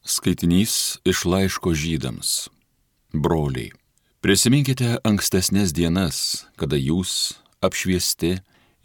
Skaitinys iš laiško Žydams. Broliai, prisiminkite ankstesnės dienas, kada jūs, apšviesti,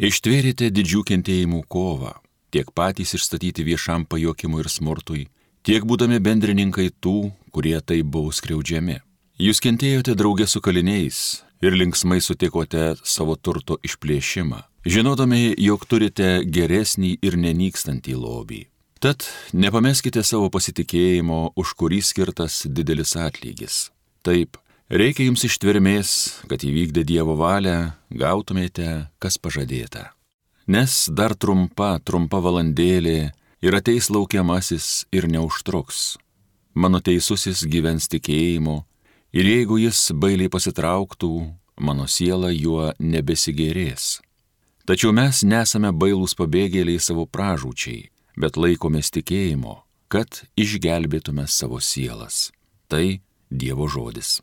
ištvėrėte didžių kentėjimų kovą, tiek patys išstatyti viešam pajuokimui ir smurtui, tiek būdami bendrininkai tų, kurie taip buvo skriaudžiami. Jūs kentėjote drauge su kaliniais ir linksmai sutikote savo turto išplėšimą, žinodami, jog turite geresnį ir nenykstantį lobį. Tad nepameskite savo pasitikėjimo, už kurį skirtas didelis atlygis. Taip, reikia jums ištvermės, kad įvykdę Dievo valią gautumėte, kas pažadėta. Nes dar trumpa valandėlė ir ateis laukiamasis ir neužtruks. Mano teisusis gyvens tikėjimu ir jeigu jis bailiai pasitrauktų, mano siela juo nebesigėrės. Tačiau mes nesame bailūs pabėgėliai savo pražūčiai, bet laikomės tikėjimo, kad išgelbėtume savo sielas. Tai Dievo žodis.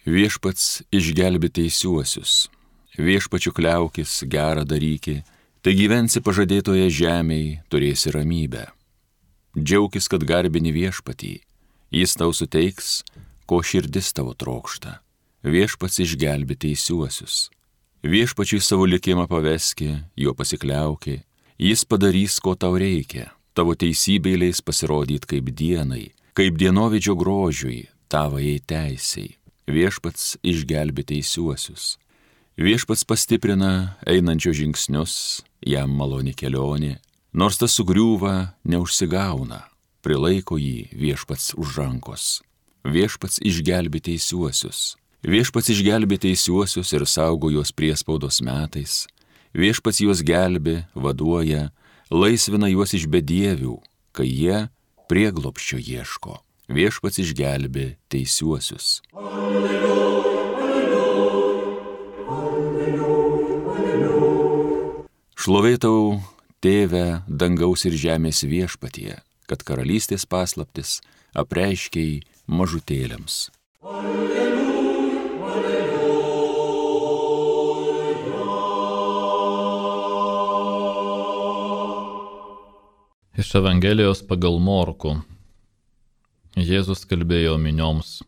Viešpats išgelbė teisiuosius, viešpačiu kliaukis, gerą daryki, tai gyvensi pažadėtoje žemėje, turėsi ramybę. Džiaukis, kad garbini viešpatį, jis tau suteiks, ko širdis tavo trokšta. Viešpats išgelbė teisiuosius. Viešpačiui savo likimą paveski, juo pasikliauki, jis padarys, ko tau reikia. Tavo teisybė leis pasirodyti kaip dienai, kaip dienovidžio grožiui, tavajai teisiai. Viešpats išgelbė teisiuosius. Viešpats pastiprina einančio žingsnius, jam maloni kelionė, nors tas sugriūva, neužsigauna, prilaiko jį viešpats už rankos. Viešpats išgelbė teisiuosius. Viešpats išgelbė teisiuosius ir saugo juos priespaudos metais. Viešpats juos gelbė, vaduoja, laisvina juos iš bedievių, kai jie prieglobsčio ieško. Viešpats išgelbė teisiuosius. Šlovė tau, Tėve, dangaus ir žemės viešpatie, kad karalystės paslaptis apreiškei mažutėliams. Iš Evangelijos pagal Morkų. Jėzus kalbėjo minioms.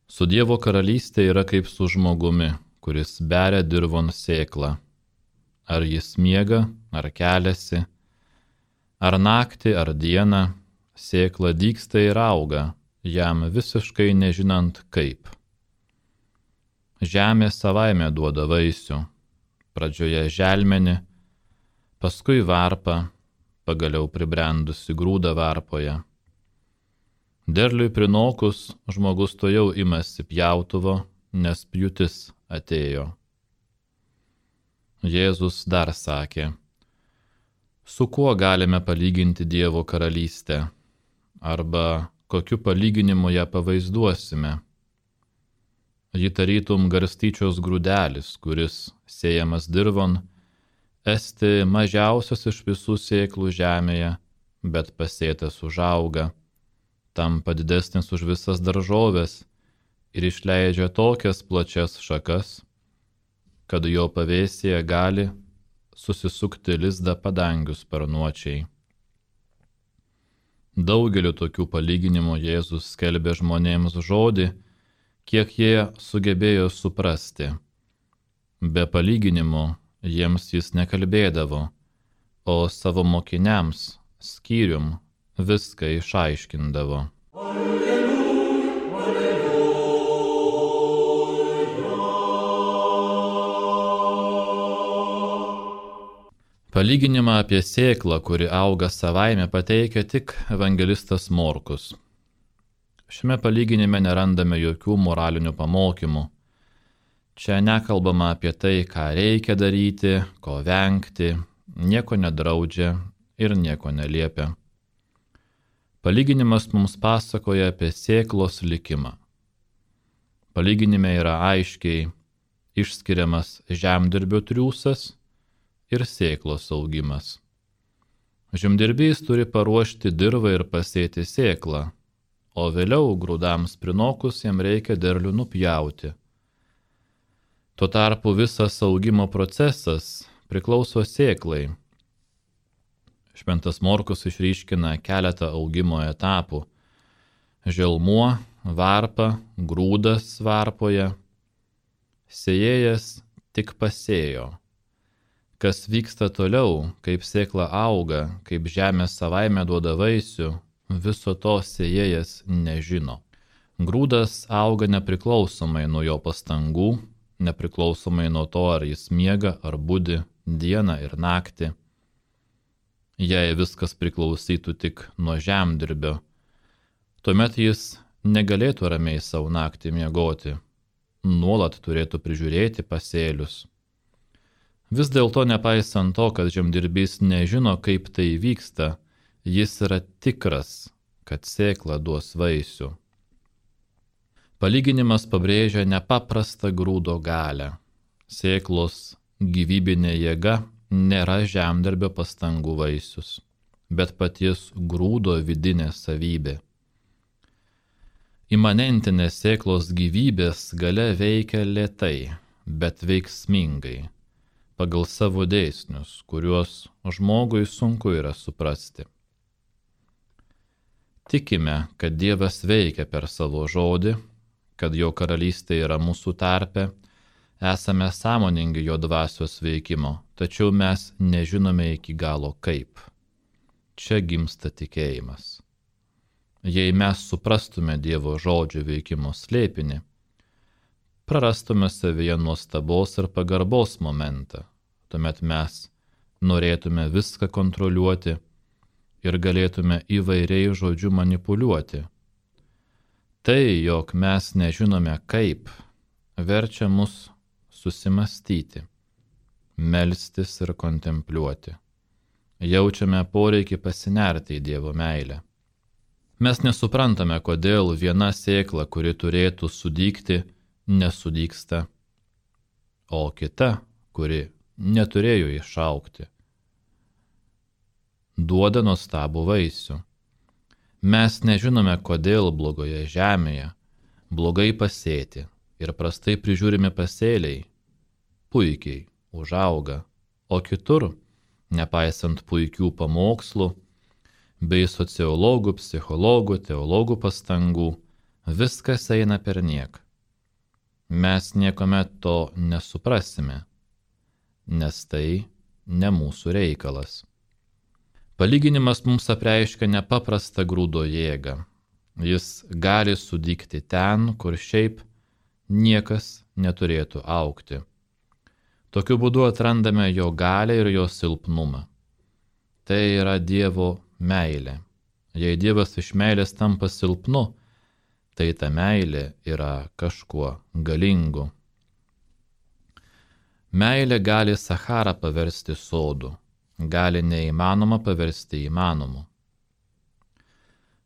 Su Dievo karalystė yra kaip su žmogumi, kuris beria dirvon sėklą. Ar jis miega, ar keliasi, ar naktį, ar dieną, sėkla dygsta ir auga, jam visiškai nežinant kaip. Žemė savaime duoda vaisių, pradžioje želmenį, paskui varpą, pagaliau pribrendusi grūdą varpoje. Derliui prinokus žmogus tojau imasi pjautuvo, nes pjūtis atėjo. Jėzus dar sakė, su kuo galime palyginti Dievo karalystę, arba kokiu palyginimu ją pavaizduosime. Ji tarytum garstyčios grūdelis, kuris, sėjamas dirvon, esti mažiausias iš visų sėklų žemėje, bet pasėtas užauga, tampa didesnis už visas daržoves ir išleidžia tokias plačias šakas, kad jo pavėsyje gali susisukti lizdą padangių sparnuočiai. Daugeliu tokių palyginimų Jėzus skelbė žmonėms žodį, kiek jie sugebėjo suprasti. Be palyginimų jiems jis nekalbėdavo, o savo mokiniams skyrium viską išaiškindavo. Palyginimą apie sėklą, kuri auga savaime, pateikia tik evangelistas Morkus. Šiame palyginime nerandame jokių moralinių pamokymų. Čia nekalbama apie tai, ką reikia daryti, ko vengti, nieko nedraudžia ir nieko neliepia. Palyginimas mums pasakoja apie sėklos likimą. Palyginime yra aiškiai išskiriamas žemdirbio triūsas ir sėklos augimas. Žemdirbys turi paruošti dirvą ir pasėti sėklą, o vėliau grūdams prinokus jam reikia derlių nupjauti. Tuo tarpu visas augimo procesas priklauso sėklai. Šventas Morkus išryškina keletą augimo etapų. Želmuo, varpa, grūdas varpoje. Sėjėjas tik pasėjo. Kas vyksta toliau, kaip sėkla auga, kaip žemė savaime duoda vaisių, viso to sėjėjas nežino. Grūdas auga nepriklausomai nuo jo pastangų, nepriklausomai nuo to, ar jis miega ar budi dieną ir naktį. Jei viskas priklausytų tik nuo žemdirbio, tuomet jis negalėtų ramiai savo naktį miegoti, nuolat turėtų prižiūrėti pasėlius. Vis dėlto, nepaisant to, kad žemdirbys nežino, kaip tai vyksta, jis yra tikras, kad sėkla duos vaisių. Palyginimas pabrėžia nepaprastą grūdo galią. Sėklos gyvybinė jėga nėra žemdirbio pastangų vaisius, bet paties grūdo vidinė savybė. Imanentinė sėklos gyvybės galia veikia lėtai, bet veiksmingai, pagal savo dėsnius, kuriuos žmogui sunku yra suprasti. Tikime, kad Dievas veikia per savo žodį, kad jo karalystė yra mūsų tarpe, esame sąmoningi jo dvasios veikimo, tačiau mes nežinome iki galo kaip. Čia gimsta tikėjimas. Jei mes suprastume Dievo žodžio veikimo slėpinį, prarastume savyje nuostabos ir pagarbos momentą, tuomet mes norėtume viską kontroliuoti ir galėtume įvairiai žodžiu manipuliuoti. Tai, jog mes nežinome kaip, verčia mus susimastyti, melstis ir kontempliuoti. Jaučiame poreikį pasinerti į Dievo meilę. Mes nesuprantame, kodėl viena sėkla, kuri turėtų sudygti, nesudygsta, o kita, kuri neturėjo išaugti, duoda nuostabų vaisių. Mes nežinome, kodėl blogoje žemėje blogai pasėti ir prastai prižiūrimi pasėliai puikiai užauga, o kitur, nepaisant puikių pamokslų, bei sociologų, psichologų, teologų pastangų, viskas eina perniek. Mes niekuomet to nesuprasime, nes tai ne mūsų reikalas. Palyginimas mums apreiškia nepaprastą grūdo jėgą. Jis gali sudygti ten, kur šiaip niekas neturėtų augti. Tokiu būdu atrandame jo galią ir jo silpnumą. Tai yra Dievo meilė. Jei Dievas iš meilės tampa silpnu, tai ta meilė yra kažkuo galingu. Meilė gali Sacharą paversti sodu, gali neįmanoma paversti įmanomu.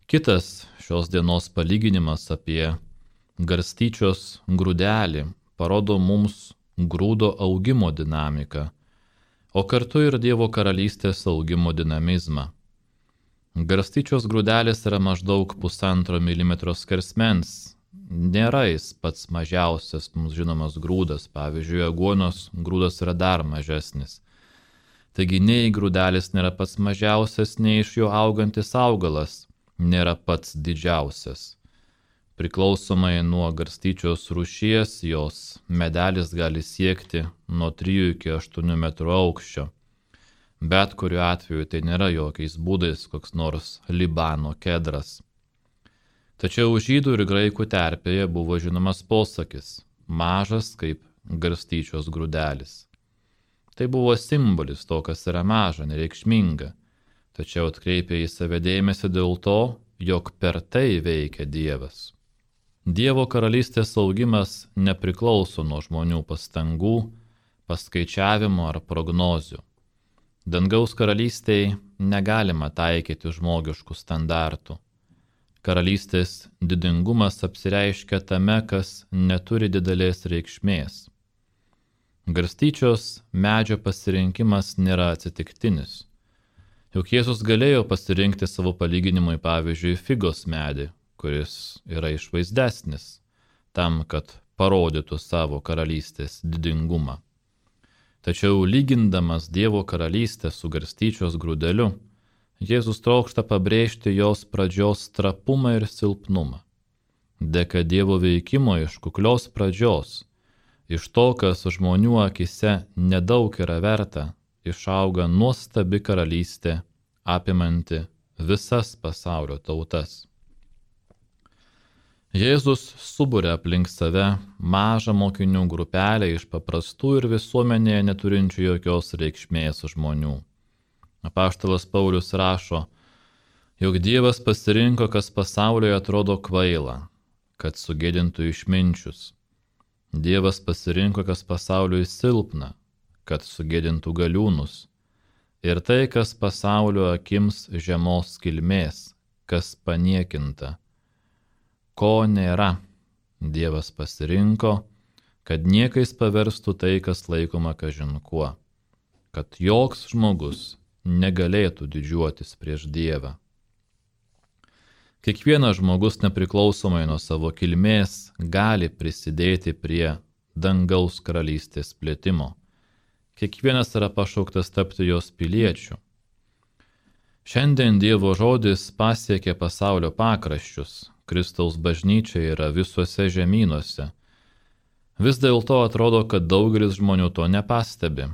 Kitas šios dienos palyginimas apie garstyčios grūdelį parodo mums grūdo augimo dinamiką, o kartu ir Dievo karalystės augimo dinamizmą. Garstyčios grūdelis yra maždaug 1,5 mm skersmens. Nėra jis pats mažiausias mums žinomas grūdas, pavyzdžiui, aguonos grūdas yra dar mažesnis. Taigi nei grūdelis nėra pats mažiausias, nei iš jo augantis augalas nėra pats didžiausias. Priklausomai nuo garstyčios rūšies, jos medelis gali siekti nuo 3 iki 8 metrų aukščio. Bet kuriuo atveju tai nėra jokiais būdais koks nors Libano kedras. Tačiau žydų ir graikų terpėje buvo žinomas posakis – mažas kaip garstyčios grūdelis. Tai buvo simbolis to, kas yra maža, nereikšminga, tačiau atkreipė į save dėmesį dėl to, jog per tai veikia Dievas. Dievo karalystės augimas nepriklauso nuo žmonių pastangų, paskaičiavimo ar prognozių. Dangaus karalystėje negalima taikyti žmogiškų standartų. Karalystės didingumas apsireiškia tame, kas neturi didelės reikšmės. Garstyčios medžio pasirinkimas nėra atsitiktinis. Juk Jėzus galėjo pasirinkti savo palyginimui pavyzdžiui figos medį, kuris yra išvaizdesnis, tam, kad parodytų savo karalystės didingumą. Tačiau lygindamas Dievo karalystę su garstyčios grūdeliu, Jėzus trokšta pabrėžti jos pradžios trapumą ir silpnumą. Dėka Dievo veikimo iš kuklios pradžios, iš to, kas žmonių akise nedaug yra verta, išauga nuostabi karalystė, apimanti visas pasaulio tautas. Jėzus suburia aplink save mažą mokinių grupelę iš paprastų ir visuomenėje neturinčių jokios reikšmės žmonių. Apaštalas Paulius rašo, jog Dievas pasirinko, kas pasaulyje atrodo kvaila, kad sugėdintų išminčius. Dievas pasirinko, kas pasauliui silpna, kad sugėdintų galiūnus. Ir tai, kas pasaulio akims žemos kilmės, kas paniekinta. Ko nėra, Dievas pasirinko, kad niekais paverstų tai, kas laikoma kažin kuo, kad joks žmogus negalėtų didžiuotis prieš Dievą. Kiekvienas žmogus nepriklausomai nuo savo kilmės gali prisidėti prie dangaus karalystės plėtimo. Kiekvienas yra pašauktas tapti jos piliečiu. Šiandien Dievo žodis pasiekė pasaulio pakraščius. Kristaus bažnyčia yra visuose žemynuose. Vis dėlto atrodo, kad daugelis žmonių to nepastebi.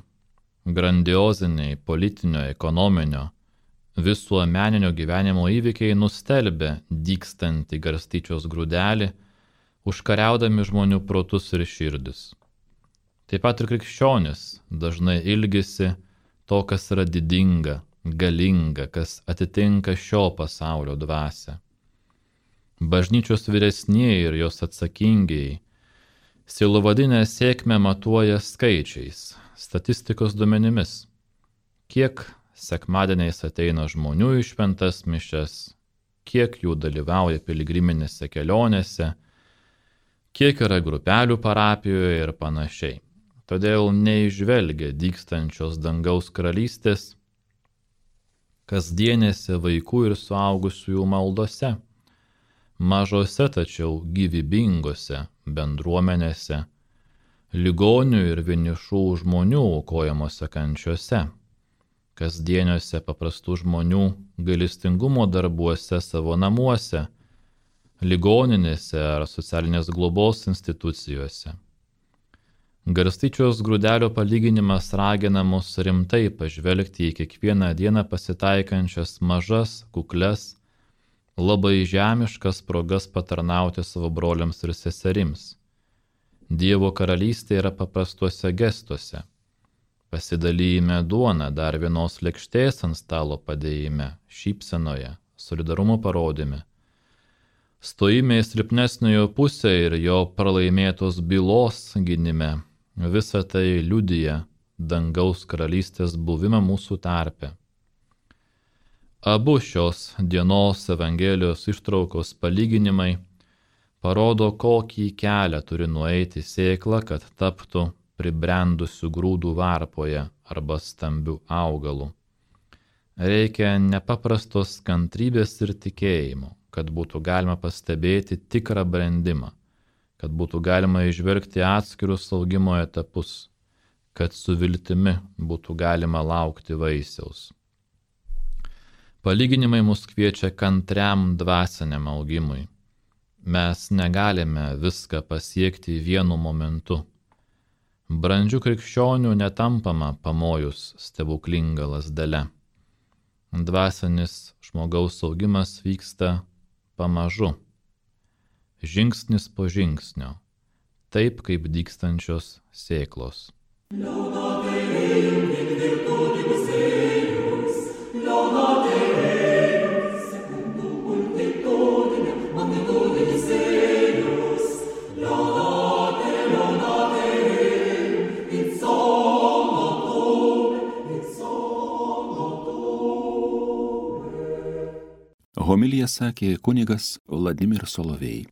Grandioziniai politinio, ekonominio, visuomeninio gyvenimo įvykiai nustelbia dygstantį garstyčios grūdelį, užkariaudami žmonių protus ir širdis. Taip pat ir krikščionis dažnai ilgisi to, kas yra didinga, galinga, kas atitinka šio pasaulio dvasią. Bažnyčios vyresnieji ir jos atsakingiai sielovadinę sėkmę matuoja skaičiais, statistikos duomenimis. Kiek sekmadieniais ateina žmonių į šventas mišias, kiek jų dalyvauja piligriminėse kelionėse, kiek yra grupelių parapijoje ir panašiai. Todėl neižvelgia dygstančios dangaus karalystės kasdienėse vaikų ir suaugusiųjų maldose, mažose tačiau gyvybingose bendruomenėse, ligonių ir vienišų žmonių aukojamose kančiose, kasdieniuose paprastų žmonių gailestingumo darbuose savo namuose, ligoninėse ar socialinės globos institucijose. Garstyčios grūdelio palyginimas ragina mus rimtai pažvelgti į kiekvieną dieną pasitaikančias mažas, kukles, labai žemiškas progas patarnauti savo broliams ir seserims. Dievo karalystė yra paprastuose gestuose. Pasidalyme duoną, dar vienos lėkštės ant stalo padėjime, šypsenoje, solidarumo parodime. Stojime į silpnesniojo pusę ir jo pralaimėtos bylos gynime. Visa tai liudija dangaus karalystės buvimą mūsų tarpe. Abu šios dienos Evangelijos ištraukos palyginimai parodo, kokį kelią turi nueiti sėkla, kad taptų pribrendusių grūdų varpoje arba stambių augalų. Reikia nepaprastos kantrybės ir tikėjimo, kad būtų galima pastebėti tikrą brendimą, kad būtų galima įžvelgti atskirus augimo etapus, kad su viltimi būtų galima laukti vaisiaus. Palyginimai mus kviečia kantriam dvasiniam augimui. Mes negalime viską pasiekti vienu momentu. Brandžių krikščionių netampama pamojus stebuklinga lazdele. Dvasinis žmogaus augimas vyksta pamažu, žingsnis po žingsnio, taip kaip dygstančios sėklos. Homiliją sakė kunigas Vladimir Solovej.